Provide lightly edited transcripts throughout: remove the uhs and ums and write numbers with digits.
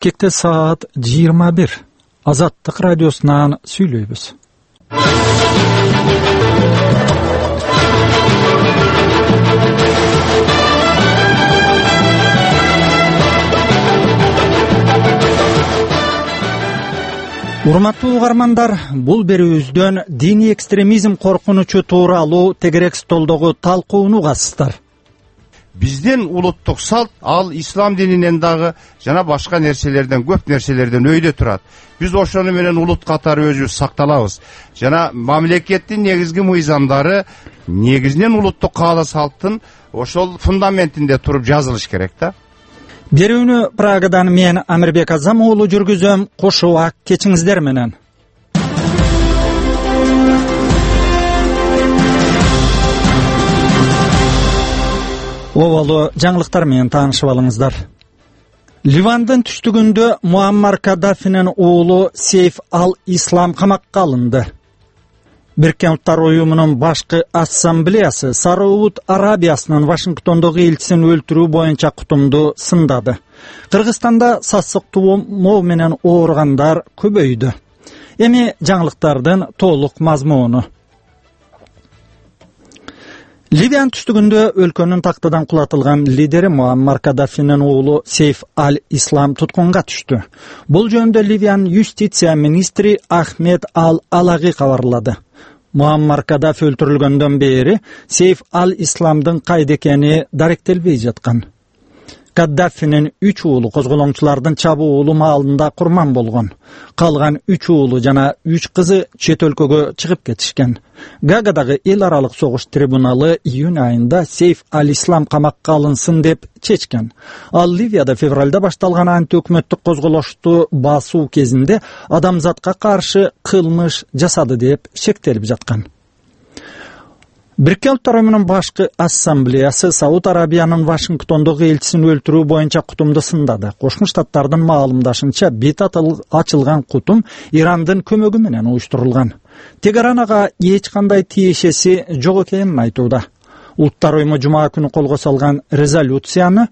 Кекте саат 21. Азаттык радиосунан сүйлөйбүз. Урматтуу угармандар, бул берүүбүздөн диний экстремизм коркунучу тууралуу тегерек столдогу талкууну угасыздар. Биздин улуттук салт ал ислам дининен дагы жана башка нерселерден, көп нерселерден өйдө турат. Биз ошону менен улут катары өзүбүз сакталабыз. Жана мамлекеттин негизги мыйзамдары негизинен улуттук каала салттын ошол фундаментинде туруп жазылыш керек да. Берүүнү Прагадан мен Амирбек Азам уулу жүргүзөм. Кошуак кечиңиздер менен. Оболу жаңылыктар менен таанышып алыңыздар. Ливандын түштүгүндө Муаммар Каддафинин уулу Сейф ал-Ислам камакка алынды. Бириккен Улуттар уюмунун башкы ассамблеясы Сауд Арабиясынын Вашингтондогу элчисин өлтүрүү боюнча кутумду сындады. Кыргызстанда сасык тумоо менен ооругандар көбөйдү. Эми жаңылыктардын толук мазмуну. Ливиянын түштүгүндө өлкөнүн тактыдан кулатылган лидери Муаммар Каддафинин уулу Сейф ал-Ислам туткунга түштү. Бул жөнүндө Ливиянын юстиция министри Ахмед ал-Алаги кабарлады. Муаммар Каддафи өлтүрүлгөндөн бери Сейф ал-Исламдын кайда экени даректелбей жаткан. Каддафинин 3 уулу козголоңчулардын чабуулу маалында курман болгон. Калган 3 уулу жана 3 кызы чет өлкөгө чыгып кетишкен. Гаагадагы эл аралык согуш трибуналы июнь айында Сейф ал-Ислам камакка алынсын деп чечкен. Ал Ливияда февралда башталган антиөкмөттүк козголошту басуу кезинде адамзатка каршы кылмыш жасады деп шектелип жаткан. Бириккен Улуттар уюмунун башкы ассамблеясы Сауд Арабиянын Вашингтондогу элчисин өлтүрүү боюнча кутумду сындады. Кошмо Штаттардын маалымдашынча, бет ачылган кутум Ирандын көмөгү менен уюштурулган. Тегеран ага эч кандай тиешеси жок экенин айтууда. Улуттар уюму жума күнү колго салган резолюцияны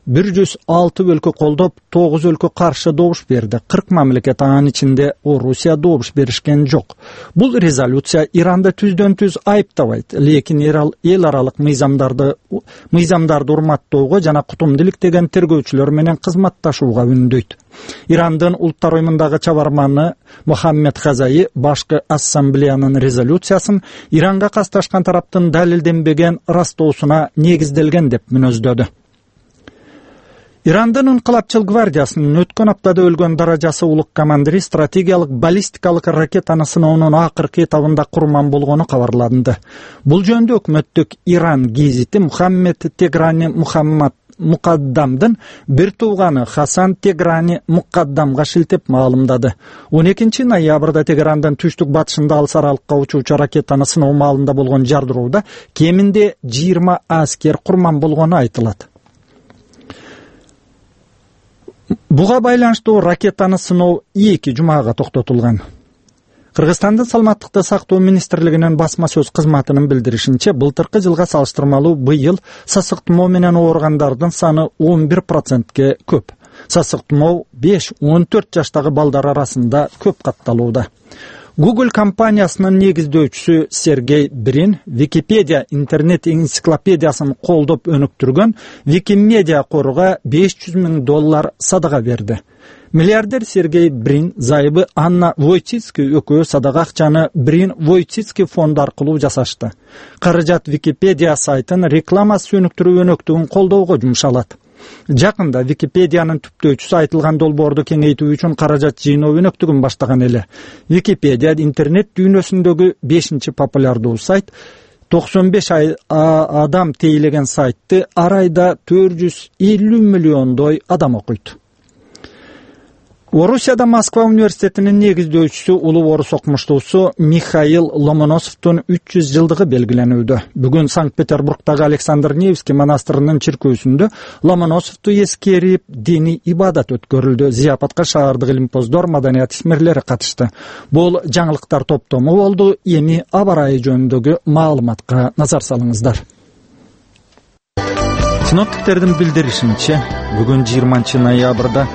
106 өлкө колдоп, 9 өлкө каршы добуш берди. 40 мамлекет анын ичинде Орусия добуш беришкен жок. Бул резолюция Иранды түздөн-түз айыптабайт, лекин эл аралык мыйзамдарды урматтоого жана кутумдулук деген тергөөчүлөр менен кызматташууга үндөйт. Ирандын Улуттар уюмундагы чабарманы Мухаммед Хазаи башкы ассамблеянын резолюциясын Иранга касташкан тараптын далилденбеген растоосуна негизделген деп мүнөздөдү. Ирандын Инкылапчыл гвардиясынын өткөн аптада өлгөн даражасы улук командири стратегиялык баллистикалык ракетаны сыноонун акыркы этабында курман болгону кабарланды. Бул жөнүндө өкмөттүк Иран гезити Мухаммед Теграни Мукаддамдын бир тууганы Хасан Теграни Мукаддамга шилтеп маалымдады. 12 ноябрда Теграндын түштүк батышында алыс аралыкка учуучу ракетаны сыноо маалында болгон жардыроодо кеминде 20 аскер курман болгону айтылат. Буга байланыштуу ракетаны сыноо 2 жумага токтотулган. Кыргызстандын саламаттыкты сактоо министрлигинин басма сөз кызматынын билдиришинче, былтыркы жылга салыштырмалуу быйыл сасык тумоо менен ооругандардын саны 11%ке көп. Сасык тумоо 5-14 жаштагы балдар арасында көп катталууда. Google компаниясынын негиздөөчүсү Сергей Брин Википедия интернет энциклопедиясын колдоп өнүктүргөн Викимедиа коруга $500,000 садага берди. Миллиардер Сергей Брин зайыбы Анна Войцицкий экөө садага акчаны Брин Войцицкий фонд аркылуу жасашты. Каражат Википедия сайтын рекламасы өнүктүрүү өнөктүгүн колдоого жумшалат. Жакында Википедиянын түптөөчүсү айтылган долбоорду кеңейтүү үчүн каражат жыйноо өнөктүгүн баштаган эле. Википедия интернет дүйнөсүндөгү 5-чи популярдуу сайт. 95 адам тейлеген сайтты ар айда 450 миллиондой адам окуйт. Орусияда Москва университетинин негиздөөчүсү улуу орус окумуштуусу Михаил Ломоносовдун 300 жылдыгы белгиленүүдө. Бүгүн Санкт-Петербургдагы Александр Невский монастырынын чиркөөсүндө Ломоносовду эскерип диний ибадат өткөрүлдү. Зияпатка шаардык илимпоздор, маданият исмерлери катышты. Бул жаңылыктар топтому болду. Эми аба ырайы жөнүндөгү маалыматка назар салыңыздар. Синоптиктердин билдиришинче, бүгүн 20 ноябрда